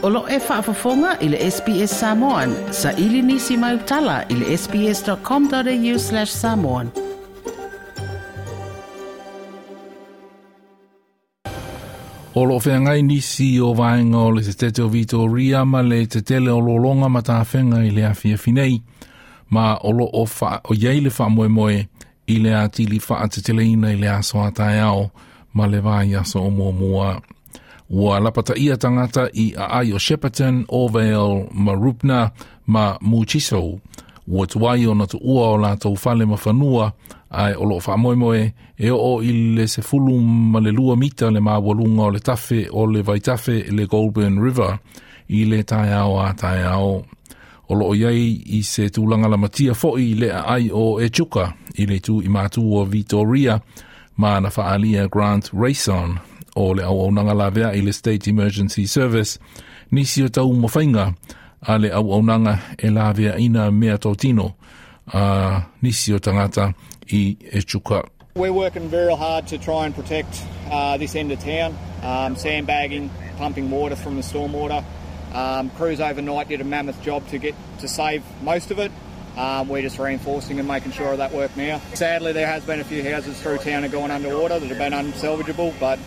O loo e faafofoga i le SBS Samoan. Saili nisi mau tala i le sbs.com.au/samoan. O loo feagai nisi o vaega o le Setete o Vitoria ma le tetele o lologa ma tafega i le afiafi nei, ma o loo o iai le faamoemoe i le atili faateteleina i le aso a taeao ma le vaiaso o muamua. Ua lapataia tagata i aai o Shepparton, Orrvale, Mooroopna ma Murchison. Ua tuai ona tuua o latou fale ma fanua, ae o loo faamoemoe e oo i le 12 mita le maualuga o le tafe o le vaitafe le Goulburn River i le taeao a taeao. O loo iai i se tulaga lamatia foi le aai o Echuca i le itu i matu o Victoria, ma na faaalia Grant Raison o le auaunaga laveai le State Emergency Service nisi o taumafaiga a le auaunaga e laveaina mea totino a nisi o tagata i Echuca. We're working very hard to try and protect this end of town, sandbagging, pumping water from the stormwater. Crews overnight did a mammoth job to get to save most of it. We're just reinforcing and making sure of that work now. Sadly, there has been a few houses through town have gone underwater that have been unsalvageable, but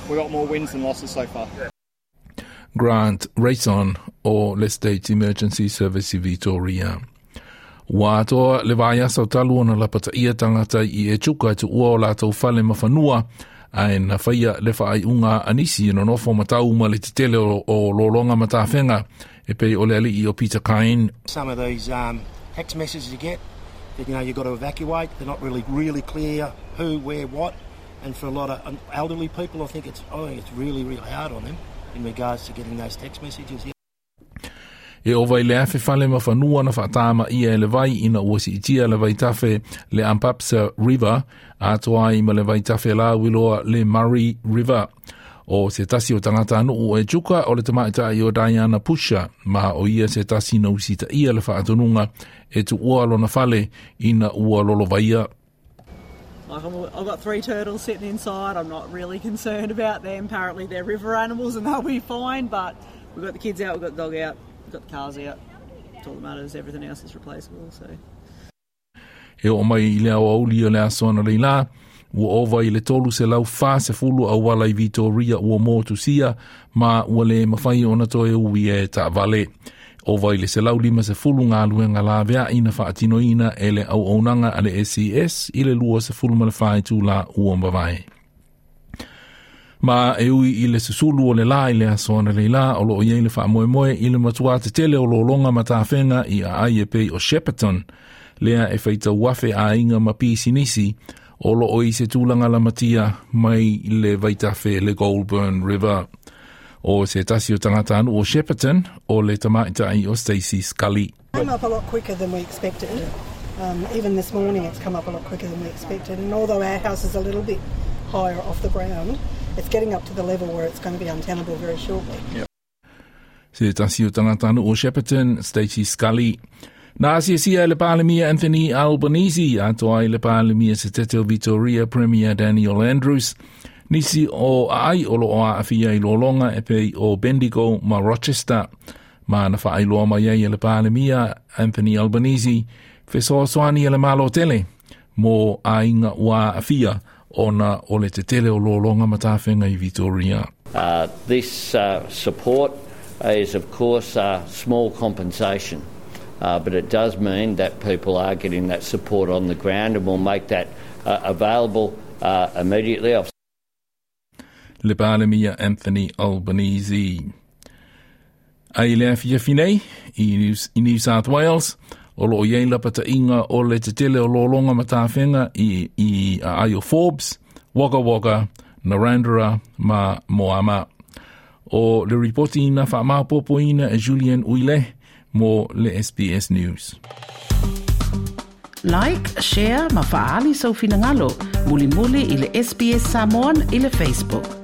we got more wins than losses so far. Grant Raison o le State Emergency Service i Victoria. Ua atoa le vaiaso talu ona lapataia tagata i Echuca e tuua o latou fale ma fanua, ae na faia le faaiuga a nisi e nonofo matau ma le tetele o lologa ma tafega e pei o le alii o Peter Kine. Some of these text messages you get that you've got to evacuate, they're not really, really clear who, where, what, and for a lot of elderly people, I think it's really, really hard on them in regards to getting those text messages. Yeah. E ova i le 1,000 fale ma fanua na faatamaia e le vai ina ua siitia le vaitafe le Ampasas River atoa ai ma le vaitafe lauiloa le Murray River. O se tasi o tagata nuu o Echuca o le tamaitai o Diana Pusha, ma o ia se tasi na usitaia le faatonuga e tuua lona fale ina ua lolovaia. Like I've got three turtles sitting inside. I'm not really concerned about them. Apparently they're river animals and they'll be fine. But we've got the kids out, we've got the dog out, we've got the cars out. It's all that matters. Everything else is replaceable. So. E oo mai i le aoauli o le aso analeila, ua ova i le 340 auala i Vitoria ua motusia ma ua le mafai ona toe ui e taavale. Ova i le 150 galuega laveai na faatinoina e le auaunaga a le SES i le 24 itula ua mavae. Ma e ui i le susulu o le la i le aso analeila, o loo iai le faamoemoe i le matua tetele o lologa ma tafega i aai e pei o Shepparton, lea e faitau afe aiga ma pisinisi o loo i se tulaga lamatia mai le vaitafe le Goulburn River. O se tasi o tagata o Shepparton o le tamaitai o Stacey Scully. Came up a lot quicker than we expected. Even this morning it's come up a lot quicker than we expected. And although our house is a little bit higher off the ground, it's getting up to the level where it's going to be untenable very shortly. Se tasi o tagata o Shepparton, Stacey Scully. Na asiasia le Palemia Anthony Albanese, atoa ai le Palemia Setete o Victoria Premier Daniel Andrews, nisi o aai o loo aafia i lologa e pei o Bendigo ma Rochester. Ma na faailoa mai ai e le Palemia Anthony Albanese fesoasoani e le Malo tele mo aiga ua aafia ona o le tetele o lologa ma tafega i Victoria. This support is, of course, small compensation, but it does mean that people are getting that support on the ground and we'll make that available immediately. I've Le Palemia Anthony Albanese. Ai le afiafi nei i New South Wales, o loo iai lapataiga o le tetele o lologa ma tafega i aai o Forbes, Wagga Wagga, Narrandera ma Moama. O le ripoti ina faamaopoopoina e Julian Uile mo le SBS News. Like, share ma faali sau finagalo. Mulimuli i le SBS Samoan i le Facebook.